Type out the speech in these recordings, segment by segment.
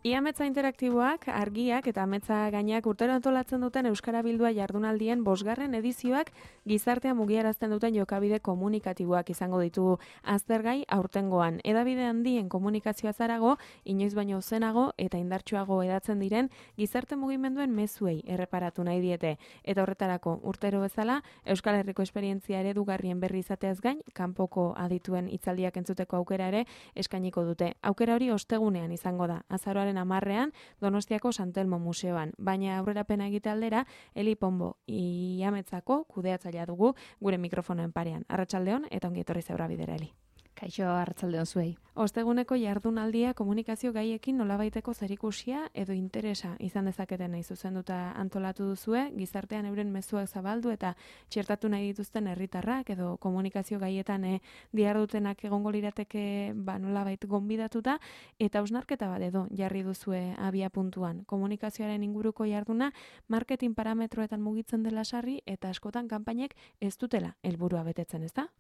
Iametza interaktiboak, argiak eta ametza gainak urtero antolatzen duten Euskara Bildua jardunaldien 5. edizioak gizartea mugiarazten duten jokabide komunikatiboak izango ditu aztergai aurtengoan. Hedabide handien komunikazioa zarago, inoiz baino zenago eta indartsuago edatzen diren gizarte mugimenduen mezuei erreparatu nahi diete. Eta horretarako urtero bezala, Euskal Herriko esperientzia eredugarrien berri izateaz gain, kanpoko adituen hitzaldiak entzuteko aukera ere eskainiko dute. Aukera hori ostegunean izango da, azaroaren 10ean Donostiako Santelmo Museoan, baina aurrerapena egite aldera Eli Ponbo Iametzako kudeatzailea dugu gure mikrofonoen parean. Arratsaldeon eta ongi etorri Zeura Bidera, Eli. Kaixo, arratsaldeon zuei. Osteguneko jardunaldia komunikazio gaiekin nolabaiteko zerikusia edo interesa izan dezaketen nahi zuzenduta antolatu duzue, gizartean euren mezuak zabaldu eta txertatu nahi dituzten herritarrak edo komunikazio gaietan dihardutenak egongo lirateke nolabait gonbidatuta, eta hausnarketa bat edo jarri duzue abia puntuan. Komunikazioaren inguruko jarduna marketing parametroetan mugitzen dela sarri eta askotan kanpainek ez dutela helburua betetzen, ezta?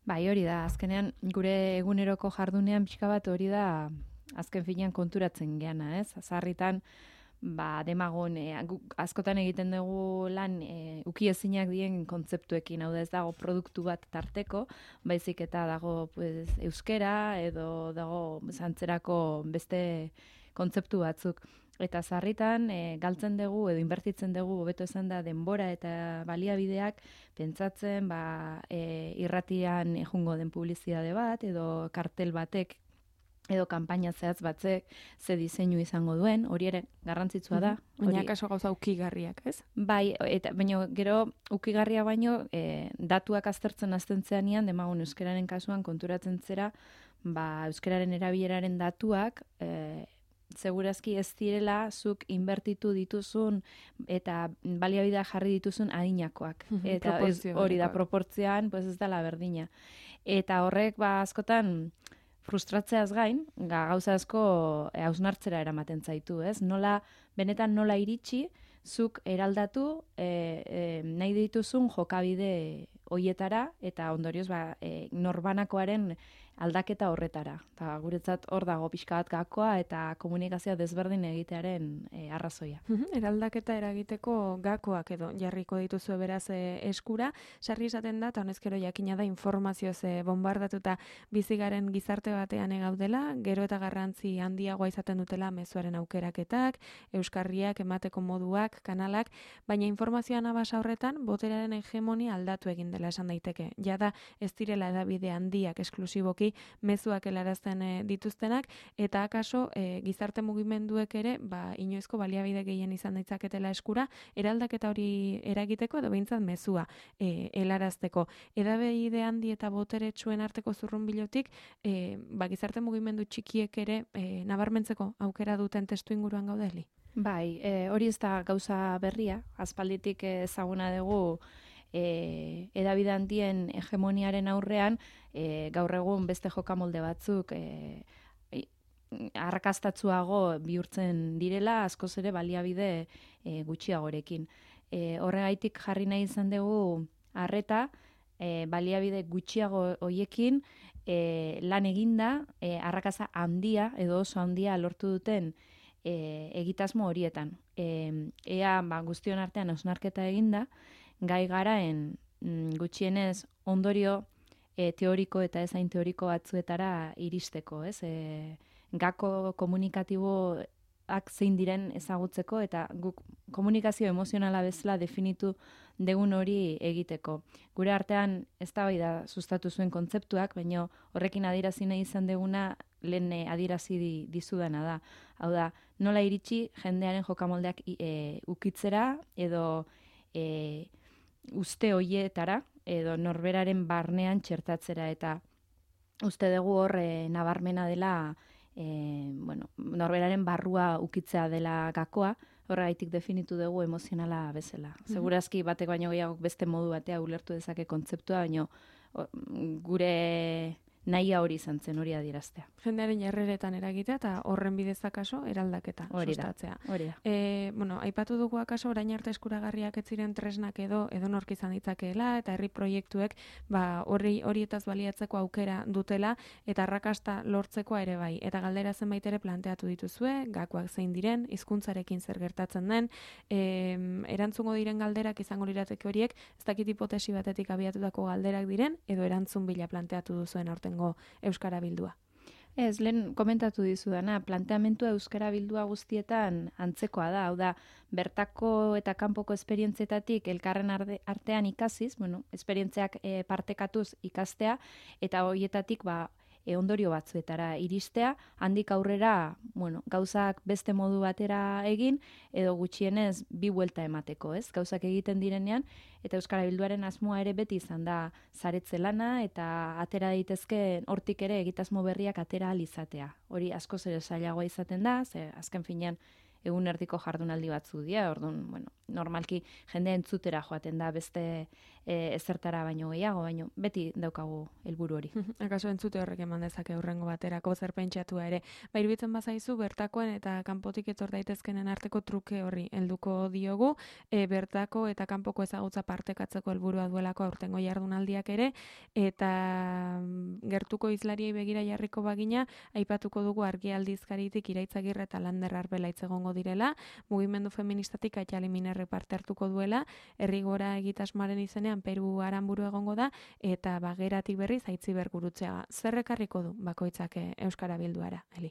Bai, hori da, azkenean gure eguneroko jardunean pixka bat hori da azken finean konturatzen geana, ez? Sarritan, demagun, askotan egiten dugu lan ukiezinak dien kontzeptuekin, hau da ez dago produktu bat tarteko, baizik eta dago euskera edo dago antzerako beste kontzeptu batzuk. Eta sarritan galtzen dugu edo inbertitzen dugu, hobeto esan da, denbora eta baliabideak pentsatzen irratian jungo den publizitate bat edo kartel batek edo kanpaina zehatz batzek ze diseinu izango duen, hori ere garrantzitsua da. Baina kaso gauza ukigarriak, ez? Bai, eta baina gero ukigarria baino datuak aztertzen hasten zeanean, demagun euskararen kasuan konturatzen zera, euskararen erabileraren datuak segurazki ez direla zuk inbertitu dituzun eta baliabidea jarri dituzun adinakoak. Eta hori da, proportzioan ez dela berdina. Eta horrek askotan frustratzeaz gain, gauza asko hausnartzera eramaten zaitu, ez? Benetan nola iritsi, zuk eraldatu nahi dituzun jokabide hoietara eta ondorioz norbanakoaren aldaketa horretara. Eta guretzat hor dago pixka bat gakoa eta komunikazioa desberdin egitearen arrazoia. Eraldaketa eragiteko gakoak edo jarriko dituzue beraz eskura, sarri esaten da, eta honezkero jakina da informazioz bombardatuta bizigaren gizarte batean gaudela, gero eta garrantzi handiagoa izaten dutela mezuaren aukeraketak, euskarriak, emateko moduak, kanalak, baina informazioan abasa horretan boterearen hegemonia aldatu egin dela esan daiteke. Jada ez direla hedabide handiak esklusiboki mezuak helarazten dituztenak, eta akaso gizarte mugimenduek ere inoizko baliabide gehien izan ditzaketela eskura, eraldaketa hori eragiteko edo behintzat mezua helarazteko. Hedabide handi eta boteretsuen arteko zurrunbilotik gizarte mugimendu txikiek ere nabarmentzeko aukera duten testu inguruan gaudeli? Bai, hori ez da gauza berria, aspalditik ezaguna dugu hedabide handien hegemoniaren aurrean, gaur egun beste jokamolde batzuk arrakastatsuago bihurtzen direla, askoz ere baliabide gutxiagorekin. Horregaitik jarri nahi izan dugu arreta, baliabide gutxiago hoiekin lan eginda, arrakasa handia edo oso handia lortu duten egitasmo horietan. Ea guztion artean hausnarketa eginda, gai garaen gutxienez ondorio teoriko eta ezain teoriko batzuetara iristeko, ez? Gako komunikatiboak zein diren ezagutzeko eta guk komunikazio emozionala bezala definitu degun hori egiteko. Gure artean eztabaida sustatu zuen kontzeptuak, baina horrekin adierazi nahi izan deguna lehen adierazi dizudana da. Hau da, nola iritsi jendearen jokamoldeak ukitzera edo uste hoietara edo norberaren barnean txertatzera, eta uste dugu hor nabarmena dela norberaren barrua ukitzea dela gakoa, horregaitik definitu dugu emozionala bezala. Segurazki batek baino gehiago beste modu batea ulertu dezake kontzeptua, baina gure nahia hori izan zen, hori adieraztea. Jendearen jarreretan eragitea eta horren bidez akaso eraldaketa sustatzea. Hori da. Bueno, aipatu dugu akaso orain arte eskuragarriak ez ziren tresnak edo nork izan ditzakeela eta herri proiektuek horietaz baliatzeko aukera dutela eta arrakasta lortzekoa ere bai. Eta galdera zenbait ere planteatu dituzue, gakoak zein diren, hizkuntzarekin zer gertatzen den, erantzungo diren galderak izango lirateke horiek, ez dakit hipotesi batetik abiatutako galderak diren edo erantzun bila planteatu duzuen aurtengo Euskara Bildua. Ez, lehen komentatu dizudana, planteamentua Euskara Bildua guztietan antzekoa da, hau da, bertako eta kanpoko esperientzietatik elkarren artean ikasiz, esperientziak partekatuz ikastea, eta horietatik ondorio batzuetara iristea, handik aurrera, gauzak beste modu batera egin, edo gutxienez bi buelta emateko, ez? Gauzak egiten direnean, eta Euskara Bilduaren asmoa ere beti izan da saretze lana, eta atera daitezke hortik ere egitasmo berriak atera ahal izatea. Hori askoz ere zailagoa izaten da, ze azken finean egun erdiko jardunaldi batzu dira, orduan, normalki jende entzutera joaten da beste ezertara baino gehiago, baino beti daukagu helburu hori. Akaso entzute horrek eman dezake hurrengo baterako zer pentsatua ere. Iruditzen bazaizu bertakoen eta kanpotik etor daitezkenen arteko truke horri helduko diogu, bertako eta kanpoko ezagutza partekatzeko helburua duelako aurtengo jardunaldiak ere, eta gertuko hizlariei begira jarriko bagina, aipatuko dugu Argia aldizkaritik Iraitzagirre eta Lander Arbela egongo direla, mugimendu feministatik Aitzali Minerri parte hartuko duela, herri gora egitasmoaren izenean Peru Aranburu egongo da, eta Bageratik berriz Aitziber Gurutzeaga. Zer ekarriko du bakoitzak Euskara Bilduara, Eli?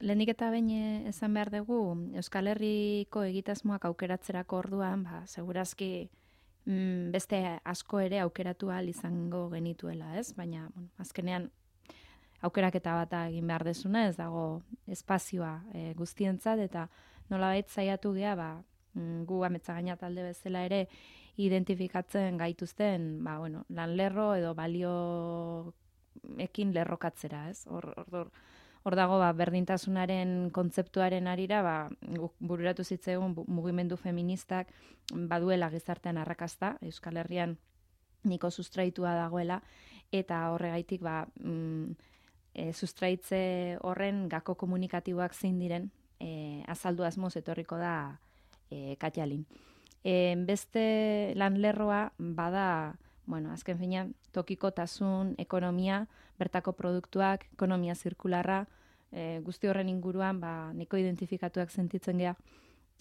Lehenik eta behin esan behar dugu, Euskal Herriko egitasmoak aukeratzerako orduan, segurazki beste asko ere aukeratu ahal izango genituela, ez? Baina, azkenean, aukeraketa bat egin behar desuna, ez dago espazioa guztientzat, eta nolabait saiatu gea, gu Ametzagaina talde bezala ere identifikatzen gaituzten, lanlerro edo balioekin lerrokatzera, ez? Hor dago, berdintasunaren kontzeptuaren arira, bururatu zitzaigun mugimendu feministak baduela gizartean arrakasta, Euskal Herrian niko sustraitua dagoela, eta horregaitik, sustraitze horren gako komunikatiboak zein diren, azaldu asmoz etorriko da Katjalin. Beste lanlerroa bada, azken finean, tokikotasun, ekonomia, bertako produktuak, ekonomia zirkularra, guzti horren inguruan, niko identifikatuak sentitzen gea,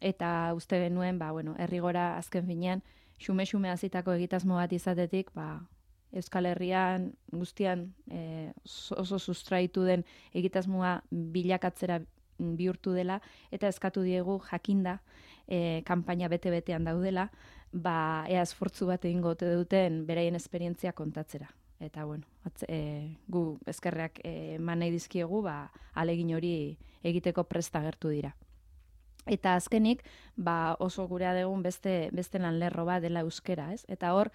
eta uste genuen, herri gora azken finean, xume-xume azitako egitasmo bat izatetik, Euskal Herrian guztian oso sustraitu den egitasmoa bilakatzera bihurtu dela, eta eskatu diegu jakinda kanpaina bete-betean daudela, ea esfortzu bat egingo ote duten beraien esperientzia kontatzera. Eta gu eskerrak eman nahi dizkiegu, ahalegin hori egiteko prest agertu dira. Eta azkenik, oso gurea dugun beste lanlerro bat dela euskera, ez? Eta hor,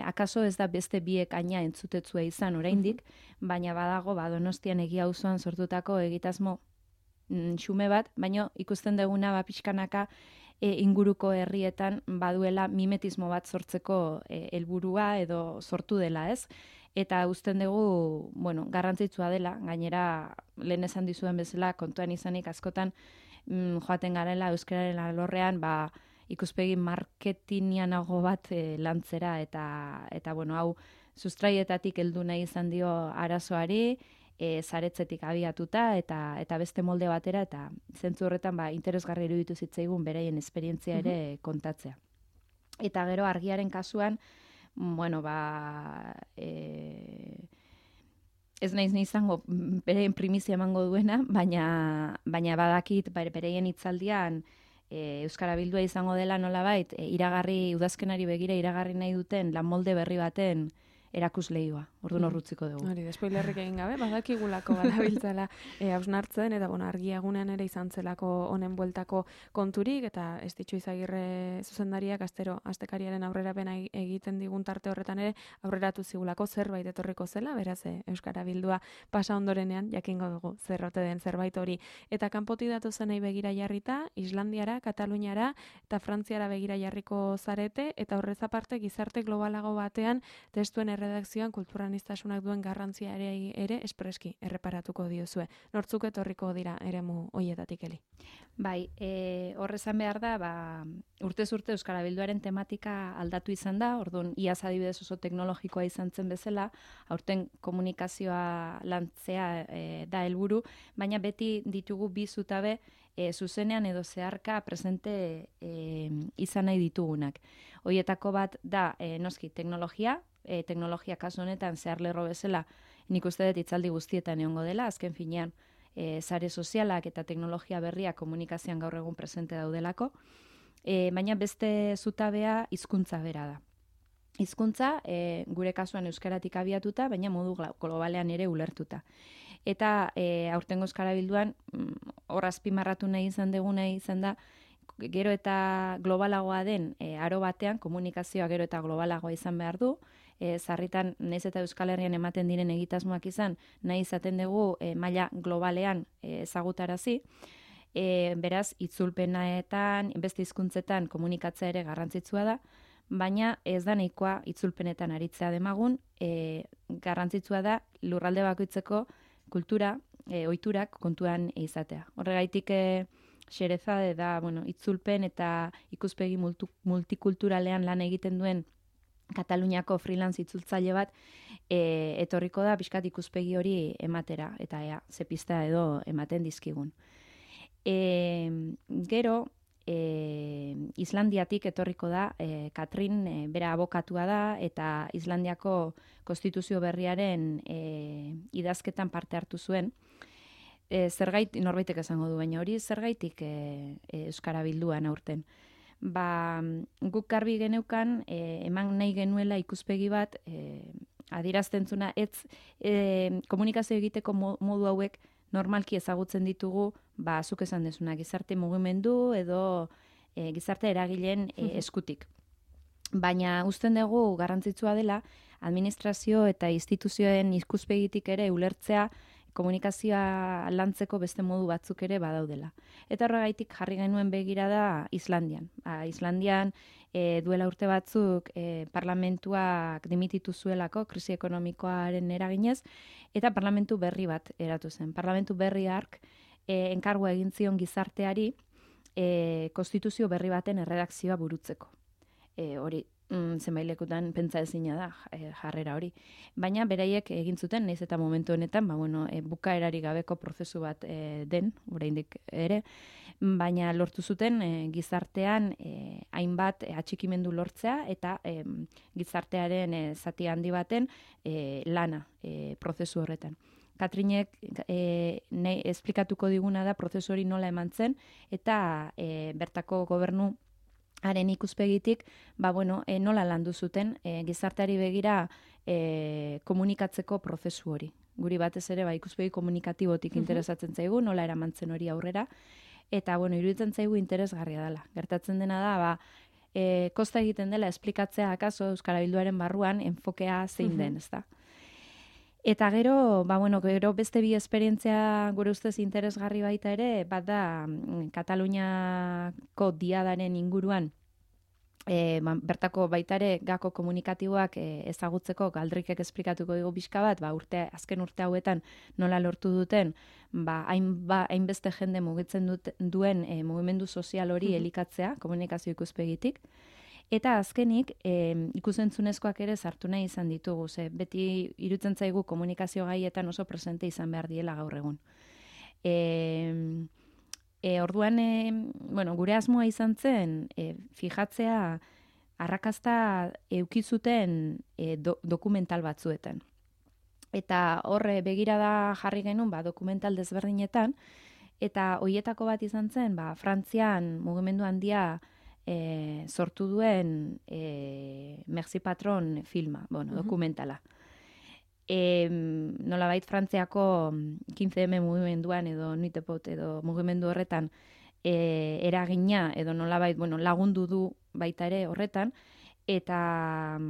akaso ez da beste biek aina entzutetzua izan oraindik, baina badago Donostian Egia auzoan sortutako egitasmo xume bat, baina ikusten duguna pixkanaka inguruko herrietan baduela mimetismo bat sortzeko helburua edo sortu dela, ez? Eta usten dugu, garrantzitsua dela, gainera lehen esan dizuen bezala kontuan izanik askotan joaten garela euskararen alorrean, ikuspegi marketingianago bat lantzera, eta hau sustraietatik heldu nahi izan dio arazoari, saretzetik abiatuta, eta beste molde batera, eta zentzu horretan interesgarri iruditu zitzaigun beraien esperientzia ere kontatzea. Eta gero Argiaren kasuan, ez naiz izango beraien primizia emango duena, baina badakit beraien hitzaldian Euskara Bildua izango dela nolabait, udazkenari begira iragarri nahi duten lan molde berri baten erakusleioa. Orduan horrutziko dugu. Hori, despoilerrik egin gabe, badakigulako badabiltzala hausnartzen, eta Argia egunean ere izan zelako honen bueltako konturik, eta ez ditxu Izagirre zuzendariak astekariaren aurrerapena egiten digun tarte horretan ere aurreratu zigulako zerbait etorriko zela, beraz Euskara Bildua pasa ondorenean jakingo dugu zerrote den zerbait hori. Eta kanpotik datu zenei begira jarrita, Islandiara, Kataluniara eta Frantziara begira jarriko zarete, eta horrez aparte gizarte globalago batean testuen erredakzioan kulturaniztasunak duen garrantzia ere espreski erreparatuko diozue. Nortzuk etorriko dira eremu hoietatik Eli? Bai, horrezan behar da, urtez urte Euskara Bilduaren tematika aldatu izan da, orduan iaz adibidez oso teknologikoa izan zen bezala, aurten komunikazioa lantzea da helburu, baina beti ditugu bi zutabe zuzenean edo zeharka presente izan nahi ditugunak. Hoietako bat da, noski, teknologia kasu honetan zehar lerro bezala, nik uste dut hitzaldi guztietan egongo dela, azken finean, sare sozialak eta teknologia berriak komunikazioan gaur egun presente daudelako, baina beste zutabea hizkuntza bera da. Hizkuntza, gure kasuan euskaratik abiatuta, baina modu globalean ere ulertuta. Eta aurtengo Euskara Bilduan, hor azpimarratu nahi izan da, gero eta globalagoa den aro batean, komunikazioa gero eta globalagoa izan behar du, sarritan nahiz eta Euskal Herrian ematen diren egitasmoak izan, nahi izaten dugu maila globalean ezagutarazi, beraz, itzulpenetan, beste hizkuntzetan komunikatzea ere garrantzitsua da, baina ez da nahikoa itzulpenetan aritzea demagun, garrantzitsua da lurralde bakoitzeko kultura, ohiturak kontuan izatea. Horregaitik Xerezade da, itzulpen eta ikuspegi multikulturalean lan egiten duen Kataluniako freelance itzultzaile bat etorriko da pixkat ikuspegi hori ematera, eta ze pista edo ematen dizkigun. Gero, Islandiatik etorriko da, Katrin bera abokatua da, eta Islandiako konstituzio berriaren idazketan parte hartu zuen. Zergaitik, norbaitek esango du, baina hori zergaitik Euskara Bilduan aurten. Guk garbi geneukan, eman nahi genuela ikuspegi bat, adierazten zuna, komunikazio egiteko modu hauek normalki ezagutzen ditugu, zuk esan dezuna, gizarte mugimendu edo gizarte eragileen eskutik. Baina usten dugu garrantzitsua dela, administrazio eta instituzioen ikuspegitik ere ulertzea komunikazioa lantzeko beste modu batzuk ere badaudela. Eta horregaitik jarri genuen begirada Islandian. Islandian duela urte batzuk parlamentuak dimititu zuelako krisi ekonomikoaren eraginez, eta parlamentu berri bat eratu zen. Parlamentu berri hark enkargua egin zion gizarteari konstituzio berri baten erredakzioa burutzeko. Hori, zenbailekutan pentsa ezina da jarrera hori. Baina beraiek egin zuten, nahiz eta momentu honetan, bukaerari gabeko prozesu bat den, oraindik ere, baina lortu zuten gizartean hainbat atxikimendu lortzea eta gizartearen zati handi baten lana prozesu horretan. Katrinek esplikatuko diguna da prozesu hori nola eman zen, eta bertako gobernu haren ikuspegitik, nola landu zuten gizarteari begira komunikatzeko prozesu hori. Guri batez ere ikuspegi komunikatibotik interesatzen zaigu, nola eramantzen hori aurrera, eta iruditzen zaigu interesgarria dela. Gertatzen dena da, kosta egiten dela esplikatzea akaso Euskara Bilduaren barruan enfokea zein den, ezta. Eta gero, gero beste bi esperientzia gure ustez interesgarri baita ere, bat da Kataluniako diadaren inguruan, bertako baita ere gako komunikatiboak ezagutzeko galdrikek esplikatuko dugu pixka bat, azken urte hauetan nola lortu duten, hainbeste jende mugitzen duen mugimendu sozial hori elikatzea komunikazio ikuspegitik. Eta azkenik, ikusentzunezkoak ere sartu nahi izan ditugu, beti irutzen zaigu komunikazio gaietan oso presente izan behar diela gaur egun. Orduan, gure asmoa izan zen, fijatzea arrakasta eukizuten dokumental batzuetan. Eta horre begirada jarri genuen dokumental desberdinetan, eta hoietako bat izan zen, Frantzian mugimendu handia sortu duen Merci Patron filma, dokumentala. Nolabait Frantziako 15M mugimenduan edo Nuitepot edo mugimendu horretan eragina edo nolabait lagundu du baita ere horretan, eta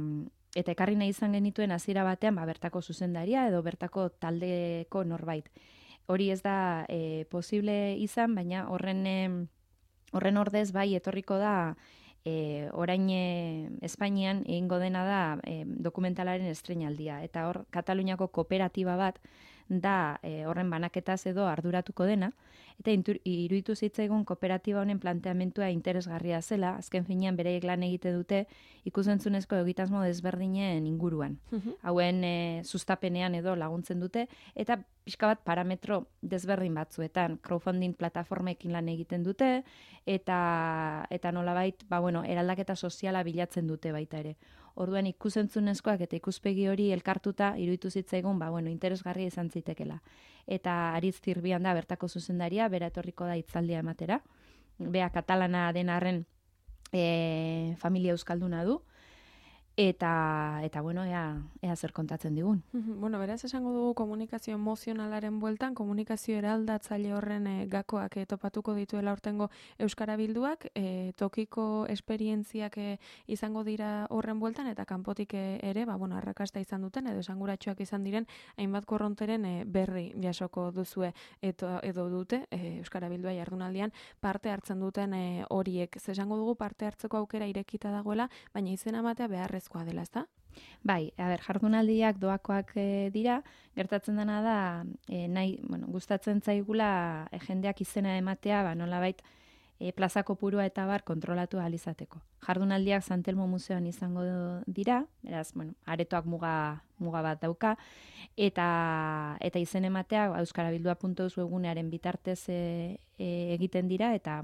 ekarri nahi izan genituen hasiera batean bertako zuzendaria edo bertako taldeko norbait. Hori ez da posible izan, baina horren ordez etorriko da orain Espainian egingo dena da dokumentalaren estreinaldia. Eta hor, Kataluniako kooperatiba bat da horren banaketaz edo arduratuko dena, eta iruditu zitzaigun kooperatiba honen planteamentua interesgarria zela, azken finean bereiek lan egite dute ikusentzunezko egitasmo desberdinen inguruan. Hauen sustapenean edo laguntzen dute, eta pixka bat parametro desberdin batzuetan, crowdfunding plataformekin lan egiten dute, eta nolabait, eraldaketa soziala bilatzen dute baita ere. Orduan ikusentzunezkoak eta ikuspegi hori elkartuta iruditu zitzaigun, interesgarria izan zitekela. Eta Aritz Zirbian da bertako zuzendaria, bera etorriko da hitzaldia ematera. Bea katalana den arren familia euskalduna du. Eta ea zer kontatzen digun. Beraz esango dugu komunikazio emozionalaren bueltan, komunikazio eraldatzaile horren gakoak topatuko dituela hortengo Euskara Bilduak, tokiko esperientziak izango dira horren bueltan, eta kanpotik ere, arrakasta izan duten, edo esanguratsuak izan diren, hainbat korronteren berri jasoko duzue edo dute Euskara Bildua jardunaldian parte hartzen duten horiek. Esango dugu parte hartzeko aukera irekita dagoela, baina izena ematea beharrez dela, ezta? Bai, jardunaldiak doakoak dira, gertatzen dena da, gustatzen zaigula jendeak izena ematea, nolabait plazako purua eta bar kontrolatu ahal izateko. Jardunaldiak Santelmo Museoan izango dira, beraz, aretoak muga bat dauka, eta izen ematea euskarabildua.eus webgunearen bitartez egiten dira, eta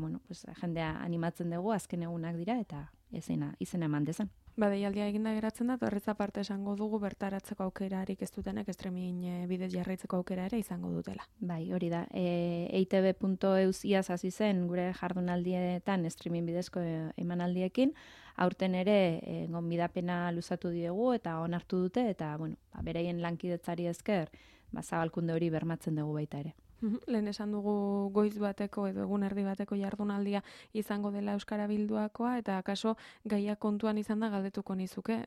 jendea animatzen dugu, azken egunak dira, eta izena eman dezan. Deialdia eginda geratzen da, horrez aparte esango dugu bertaratzeko aukerarik ez dutenek streaming bidez jarraitzeko aukera ere izango dutela. Bai, hori da. eitb.eus iaz hasi zen gure jardunaldietan streaming bidezko emanaldiekin, aurten ere gonbidapena luzatu diegu eta onartu dute, eta beraien lankidetzari esker zabalkunde hori bermatzen dugu baita ere. Lehen esan dugu goiz bateko edo egun erdi bateko jardunaldia izango dela Euskara Bilduakoa, eta akaso gaia kontuan izan da galdetuko nizuke.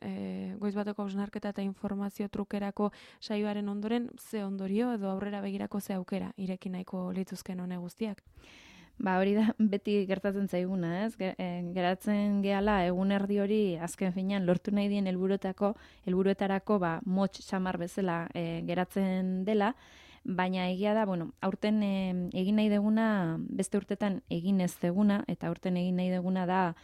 Goiz bateko hausnarketa eta informazio trukerako saioaren ondoren, ze ondorio edo aurrera begirako ze aukera ireki nahiko lituzken hone guztiak? Hori da beti gertatzen zaiguna, ez? Geratzen gehala egun erdi hori azken finean lortu nahi dien helburuetarako motx xamar bezala geratzen dela, baina egia da, aurten egin nahi deguna, beste urtetan egin ez deguna, eta aurten egin nahi deguna da,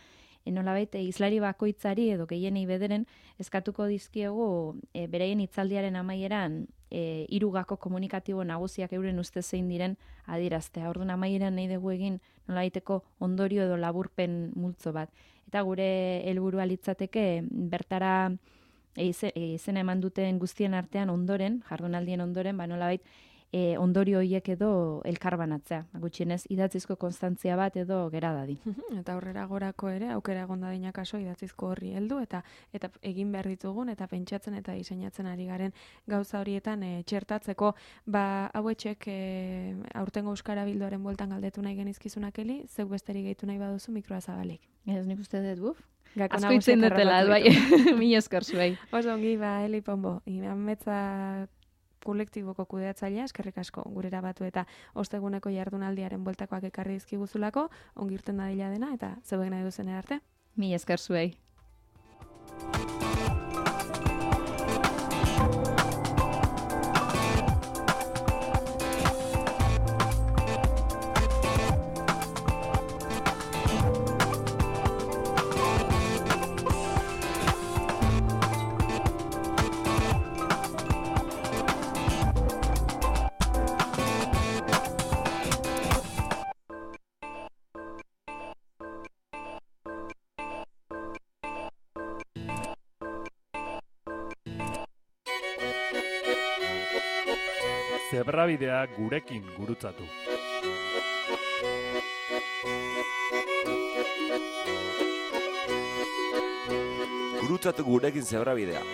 nolabait islari bakoitzari edo gehienei bederen eskatuko dizkiegu bereien hitzaldiaren amaieran 3 gako komunikatibo nagusiak euren ustez zein diren adieraztea. Orduan amaieran nahi dugu egin nolabaiteko ondorio edo laburpen multzo bat. Eta gure helburua litzateke bertara izena eman duten guztien artean ondoren, jardunaldien ondoren, nolabait ondorio horiek edo elkarbanatzea. Gutxienez, idatzizko konstantzia bat edo gera dadin. Eta aurrera gorako ere, aukera egon dadin akaso idatzizko horri heldu, eta egin behar ditugun, eta pentsatzen eta diseinatzen ari garen gauza horietan txertatzeko. Hauetxek aurtengo Euskara Bilduaren bueltan galdetu nahi genizkizunak Eli, zeuk besterik gehitu nahi baduzu mikroa zabalik. Ez nik uste dut, asko itzen dutela, mila esker zuei. Oso ongi, Eli Pombo, Ametza kolektiboko kudeatzailea, eskerrik asko gurera batu eta osteguneko jardunaldiaren bueltakoak ekarri dizkiguzulako, ongi irten dadila dena, eta zeuek nahi duzen arte. Mila esker zuei. Zebrabidea gurekin gurutzatu. Gurutzatu gurekin zebrabidea.